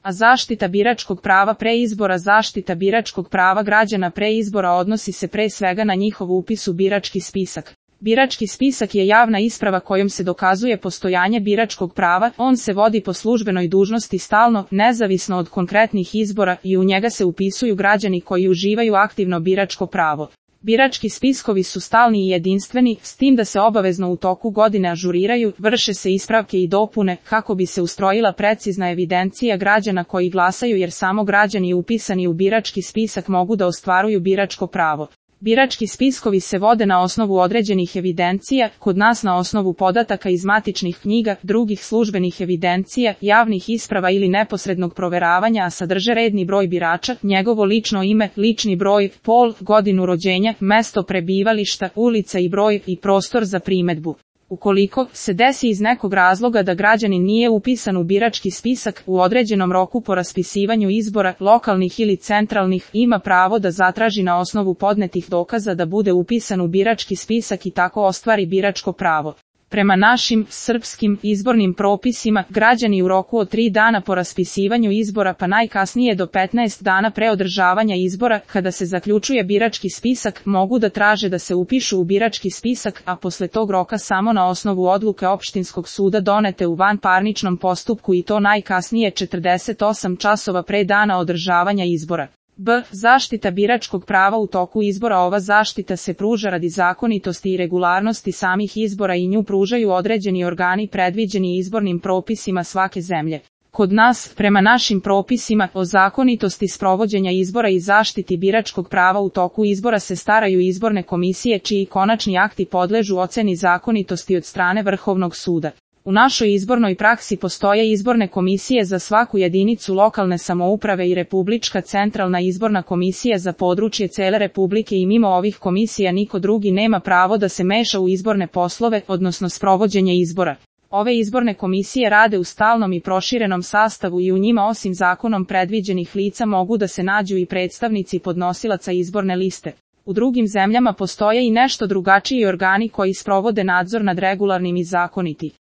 A zaštita biračkog prava pre izbora. Zaštita biračkog prava građana pre izbora odnosi se pre svega na njihov upis u birački spisak. Birački spisak je javna isprava kojom se dokazuje postojanje biračkog prava, on se vodi po službenoj dužnosti stalno, nezavisno od konkretnih izbora i u njega se upisuju građani koji uživaju aktivno biračko pravo. Birački spiskovi su stalni i jedinstveni, s tim da se obavezno u toku godine ažuriraju, vrše se ispravke i dopune, kako bi se ustrojila precizna evidencija građana koji glasaju jer samo građani upisani u birački spisak mogu da ostvaruju biračko pravo. Birački spiskovi se vode na osnovu određenih evidencija, kod nas na osnovu podataka iz matičnih knjiga, drugih službenih evidencija, javnih isprava ili neposrednog proveravanja, a sadrže redni broj birača, njegovo lično ime, lični broj, pol, godinu rođenja, mesto prebivališta, ulica i broj i prostor za primedbu. Ukoliko se desi iz nekog razloga da građanin nije upisan u birački spisak u određenom roku po raspisivanju izbora, lokalnih ili centralnih, ima pravo da zatraži na osnovu podnetih dokaza da bude upisan u birački spisak i tako ostvari biračko pravo. Prema našim, srpskim, izbornim propisima, građani u roku od 3 dana po raspisivanju izbora pa najkasnije do 15 dana pre održavanja izbora, kada se zaključuje birački spisak, mogu da traže da se upišu u birački spisak, a posle tog roka samo na osnovu odluke opštinskog suda donete u vanparničnom postupku i to najkasnije 48 časova pre dana održavanja izbora. B. Zaštita biračkog prava u toku izbora. Ova zaštita se pruža radi zakonitosti i regularnosti samih izbora i nju pružaju određeni organi predviđeni izbornim propisima svake zemlje. Kod nas, prema našim propisima o zakonitosti sprovođenja izbora i zaštiti biračkog prava u toku izbora se staraju izborne komisije čiji konačni akti podležu oceni zakonitosti od strane Vrhovnog suda. U našoj izbornoj praksi postoje izborne komisije za svaku jedinicu lokalne samouprave i Republička centralna izborna komisija za područje cele Republike i mimo ovih komisija niko drugi nema pravo da se meša u izborne poslove, odnosno sprovođenje izbora. Ove izborne komisije rade u stalnom i proširenom sastavu i u njima osim zakonom predviđenih lica mogu da se nađu i predstavnici podnosilaca izborne liste. U drugim zemljama postoje i nešto drugačiji organi koji sprovode nadzor nad regularnim i zakoniti